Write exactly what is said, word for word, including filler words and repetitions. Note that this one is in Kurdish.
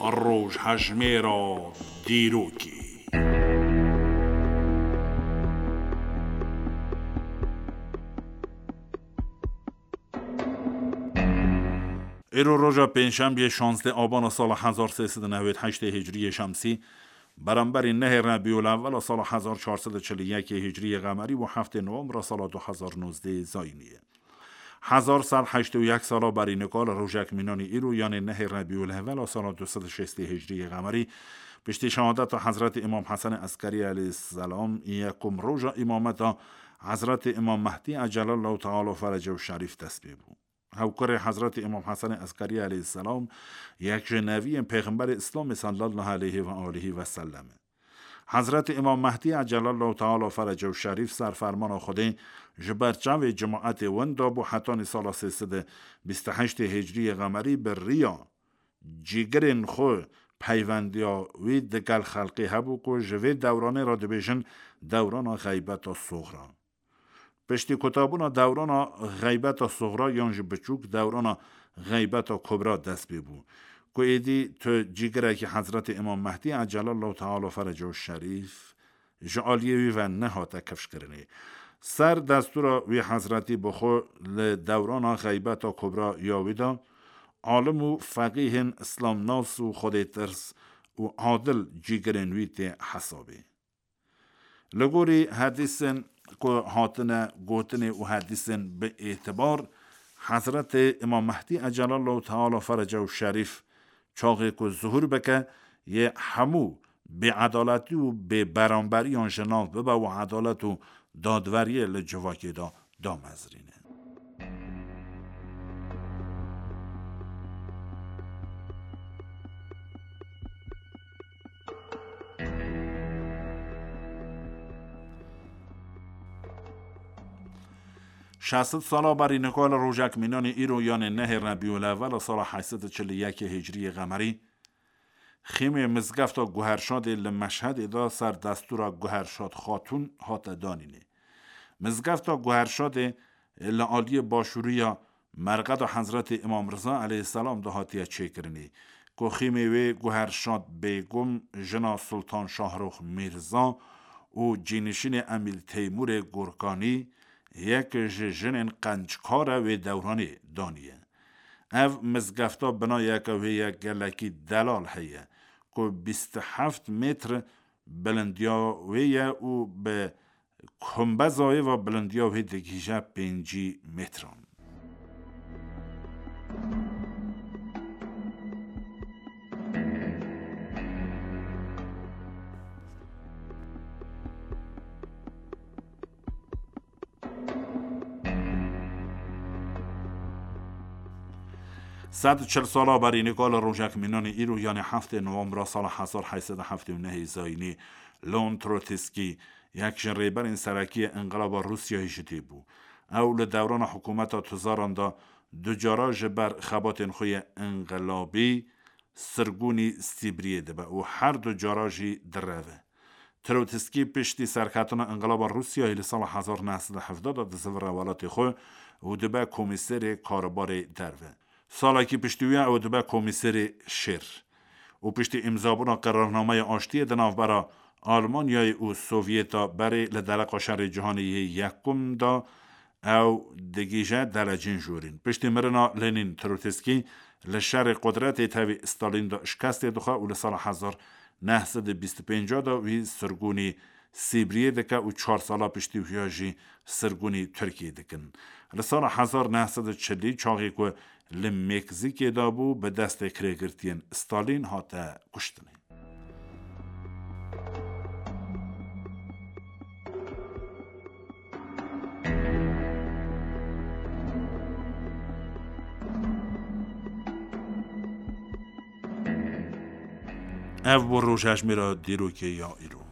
Rojhejmêra dîrokê. Îro roja pêncşembiyê şazdeh abana sala hezar sê sed û newêd heştê hicriyê şemsî, beramberî nehê Rebîul Ewwela sala hezar çar sed û çil û yekê hicriyê qemerî û heftê nowembra sala du hezar nozdeh zayînî ye. Hezar sed heştê û yek sala berî nika li rojek mînanî îro, yanê nehê Rebîul Ewwela sala du sed û şêstê hicriyê qemerî, piştî şehadeta Hezretî Îmam Hesenê Eskerî aleyhisselam, yekum roja îmameta Hezretî Îmam Mehdî ecelallahu teala ferecehu şerîf dest pê bû. Hewkurê Hezretî Îmam Hesenê Eskerî aleyhisselam yek ji neviyên Pêxemberê Îslamê sallallahu aleyhi ve aleyhi ve sellem e. Hezretî Îmam Mehdî ecelallahu teala ferecehu şerîf ser fermana Xwedê ji ber çavê cemaetê winda bû, hetanî sala sê sed û bîst û heştê hicriyê qemerî bi riya cîgirên xwe peyvendiya wî digel xelkê hebû ku ji vê dewranê re dibêjin dewrana xeybeta soxra. Piştî kutabûna dewrana xeybeta soxra yan jî biçûk dewrana xeybeta kubra dest pê bû, ku êdî tu cîgirekî Hezretî Îmam Mehdî ecelallahu teala ferecehu şerîf ji aliyê wî ve nehate kifşkirinê. Ser destûra wî Hezretî bi xwe li dewrana xeybeta kubra ya wî de alim û feqîhên îslamnas û xwedêtirs û adil cîgirên wî tê hesabê. Li gorî hedîsên ku hatine gotinê û hedîsên bi êtibar, Hezretê Îmam Mehdî ecelallahu teala ferecehu şerîf çaxê ku zuhûr bike, yê hemû bêedaletî û bêberamberiyan ji nav bibe û edalet û dadweriyê li civakê de damezrîne. Şeş sed sala berî nika li rojek mînanî îro, yanê nehê Rebîul Ewwela sala heşt sed û çil û yekê hicriyê qemerî, xîmê mizgefta Guherşadê li Meşhedê de ser destûra Guherşad Xatûn hate danînê. Mizgefta Guherşadê li aliyê başûrî ya merqeda Hezretî Îmam Riza aleyhisselam de hatiye çêkirinê, ku xîmê wê Guherşad Bêgum, jina Sultan Şahrûx Mîrza û cînişînê Emîr Teymûrê Gurkanî, yek ji jinên qenckar e wê dewranê daniye. Ev mizgefta binayeke wê ye gelekî delal heye, ku bîst û heft metr bilindiya wê ye û bi kumbeza wê ve bilindiya wê digihîje pêncî metran. Sed û çil sala berî nika li rojek mînanî îro, yanê heftê Nowembra sala hezar heşt sed û heftê û nehê zayînî, Leon Trotsky, yek ji rêberên serekî yê Înqilaba Rûsyayê ji dê bû. Ew li dewrana hikûmeta Tuzaran de du cara ji ber xebatên xwe yê înqilabî sirgûnî Sîbriyê dibe û her du cara jî direve. Trotsky piştî serketina Înqilaba Rûsyayê li sala hezar neh sed û hevdeh de dizivire welatê xwe û dibe komîserê karbarê derve. Salekî piştî wî ew dibe komîserê şer. Û piştî îmzabûna qerarnameya aştiyê di navbera Almanyayê û Sovyeta berê li dereqa şerê cîhanê yê yekum de ew digihîje derecên jorîn. Piştî mirina Lenîn, Trotsky li şerê qudretê tevî Stalîn de şikestê dixwe û li sala hezar neh sed û bîst û pênc de wî sirgûnî Sîbriyê dike û çar sala piştî wî ya jî sirgûnî Tirkiyê dikin. Li sala hezar neh sed û çilî, çaxê ku li Meksîkê de bû, bi destê kirêgirtiyên Stalîn hate kuştinê. Ev bû rojhejmêra dîrokê ya îro.